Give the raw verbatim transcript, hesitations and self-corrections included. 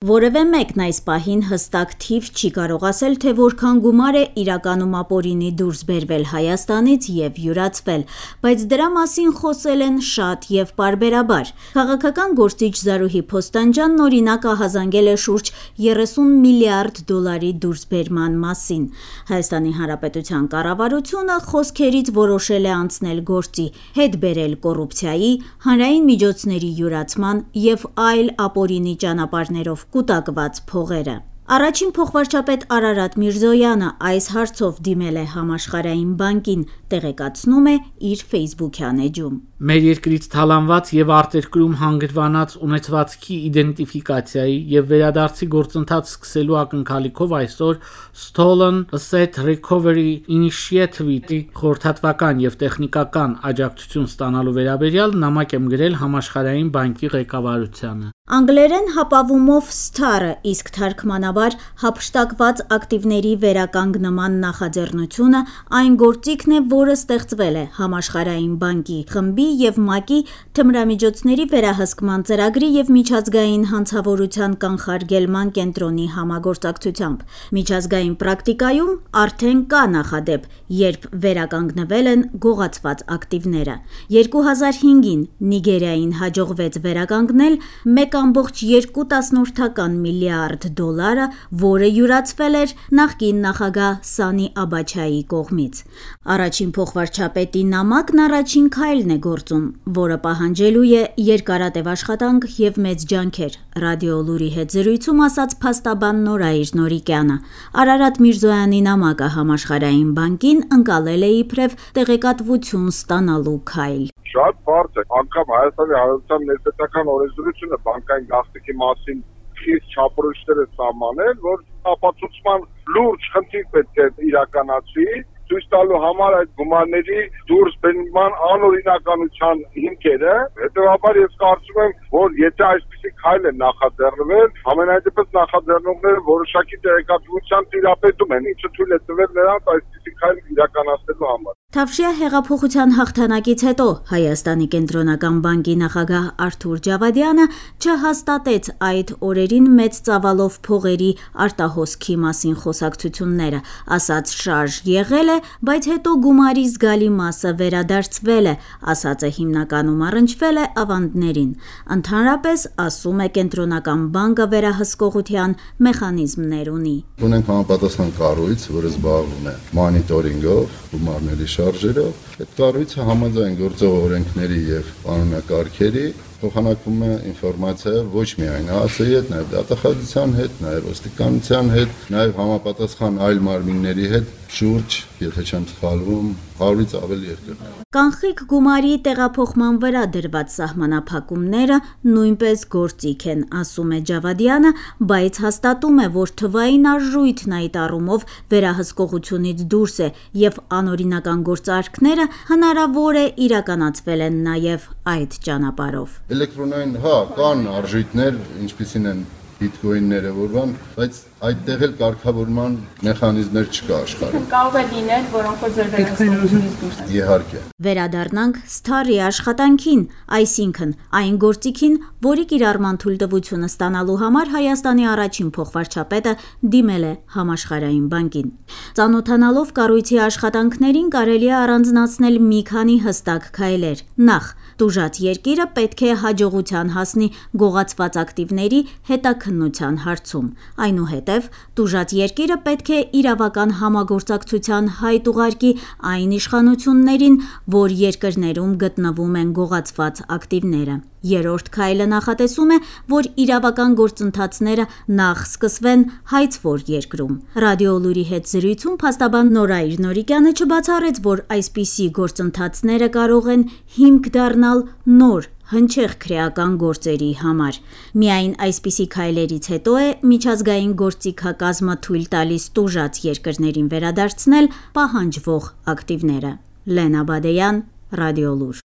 Որևէ մեկն այս պահին հստակ թիվ չի կարող ասել, թե որքան գումար է իրականում ապօրինի դուրս բերվել Հայաստանից և յուրացվել, բայց դրա մասին խոսել են շատ և պարբերաբար։ Քաղաքական գործիչ Զարուհի Փոստանջյանն օրինակ ահազանգել է շուրջ երեսուն միլիարդ դոլարի դուրսբերման մասին։ Հայաստանի Հանրապետության կառավարությունը խոսքերից որոշել է անցնել գործի, հետ բերել կոռուպցիայի, հանրային միջոցների յուրացման և այլ ապօրինի ճանապարհներով կուտակված փողերը։ Առաջին փոխվարչապետ Արարատ Միրզոյանը այս հարցով դիմել է Համաշխարհային բանկին, տեղեկացնում է իր ֆեյսբուքյան էջում։ Մեր երկրից թալանված և արտերկրում հանգրվանած ունեցվածքի իդենտիֆիկացիայի և վերադարձի գործընթաց սկսելու ակնկալիքով այսօր Stolen Asset Recovery Initiative-ի խորհրդատվական և տեխնիկական աջակցություն ստանալու վերաբերյալ նամակ եմ գրել Համաշխարհային բանկի ղեկավարությանը։ Անգլերեն հապավումով Star-ը, իսկ թարգմանաբար հափշտակված ակտիվների վերականգնման նախաձեռնությունը այն գործիքն է, որը ստեղծվել է Համաշխարհային բանկի խմբի և ՄԱԿ-ի թմրամիջոցների վերահսկման ծրագրի և միջազգային հանցավորության կանխարգելման կենտրոնի համագործակցությամբ։ Միջազգային պրակտիկայում արդեն կա նախադեպ, երբ վերականգնվել են գողացված ակտիվները։ երկու հազար հինգին Նիգերիային հաջողվեց վերականգնել մեկ կամբողջ երկու տասնորդական միլիարդ դոլարը, որը յուրացվել էր նախկին նախագահ Սանի Աբաչայի կողմից։ Առաջին փոխվարչապետի նամակն առաջին քայլն է գործում, որը պահանջելու է երկարատև աշխատանք և մեծ ջանքեր, Ռադիոլուրի հետ զրույցում ասաց փաստաբան Նորայր Նորիկյանը։ Արարատ Միրզոյանի նամակը Համաշխարհային բանկին ընկալել է իբրև տեղեկատվություն ստանալու քայլ։ Շատ բարդ է, անգամ Հայաստանի Հանրապետության ներբետական օրենսդրությունը բանկային գաղտնիքի մասին խիստ չափորոշիչներ է սահմանել, որ ապացուցման լուրջ խնդիր պետք է իրականացվի, ցույց տալու համար այդ գումարների դուրսբերման անօրինականության հիմքերը։ Հետևաբար ես կարծում եմ, որ եթե այսպիսի քայլ է նախաձեռնվել, ամենայն դեպս նախաձեռնողները որոշակի տեղեկատվության տիրապետում են, ինչը թույլ է տվել նրանց այսպիսի քայլ իրականացնելու համար։ Թավշյա հեղափոխության հաղթանակից հետո Հայաստանի կենտրոնական բանկի նախագահ Արթուր Ջավադյանը չհաստատեց այդ օրերին մեծ ծավալով փողերի արտահոսքի մասին խոսակցությունները, ասաց շարժ եղել է, բայց հետո գումարի զգալի մասը վերադարձվել է, ասածը հիմնականում առնչվել է ավանդներին։ Ընդհանրապես, ասում է կենտրոնական բանկը վերահսկողության մեխանիզմներ ունի։ Ունենք համապատասխան կառույց, որը զբաղվում է մոնիտորինգով, գումարների շարժերով։ Այդ կառույցը համաձայն գործող օրենքների և կանոնակարգերի փոխանակվում է ինֆորմացիա ոչ միայն ԱԱՑ-ի հետ, նաև դատախազության հետ, նաև ոստիկանության հետ, նաև համապատասխան այլ մարմինների հետ շուրջ, եթե չեմ սխալվում, հարյուրից ավելի երկրներ։ Կանխիկ գումարի տեղափոխման վրա դրված սահմանափակումները նույնպես գործիք են, ասում է Ջավադյանը, բայց հաստատում է, որ թվային արժույթն այդ առումով վերահսկողությունից դուրս է և անօրինական գործարքները հնարավոր է իրականացվել են նաև այդ ճանապարհով։ Էլեկտրոնային, հա, կան արժույթներ, ինչպիսին են բիտկոինները, որվան, բայց այդտեղ էլ կարգավորման մեխանիզմներ չկա աշխարհում։ Կարող է լինել, որոնք որ վերահսկողությունից դուրս են։ Իհարկե։ Վերադառնանք Star-ի աշխատանքին, այսինքն այն գործիքին, որի կիրառման թույլտվությունը ստանալու համար Հայաստանի առաջին փոխվարչապետը դիմել է Համաշխարհային բանկին։ Ծանոթանալով կառույցի աշխատանքներին կարելի է առանձնացնել մի քանի հստակ քայլեր։ Նախ, տուժած երկիրը պետք է հաջողության հասնի գողացված ակտիվների հետաքննության հարցում։ Այնուհետև տուժած երկիրը պետք է իրավական համագործակցության հայտ ուղարկի այն իշխանություններին, որ երկրներում գտնվում են գողացված ակտիվները։ Երրորդ քայլը նախատեսում է, որ իրավական գործընթացները նախ սկսվեն հայցվոր երկրում։ Ռադիոլուրի հետ զրույցում փաստաբան Նորայր Նորիկյանը չբացառեց, որ այսպիսի գործընթացները կարող են հիմք դառնալ նոր հնչեղ քրեական գործերի համար։ Միայն այսպիսի քայլերից հետո է միջազգային գործիքակազմը թույլ տալիս տուժած երկրներին վերադարձնել պահանջվող ակտիվները։ Լենա Բադեյան, Ռադիոլուր։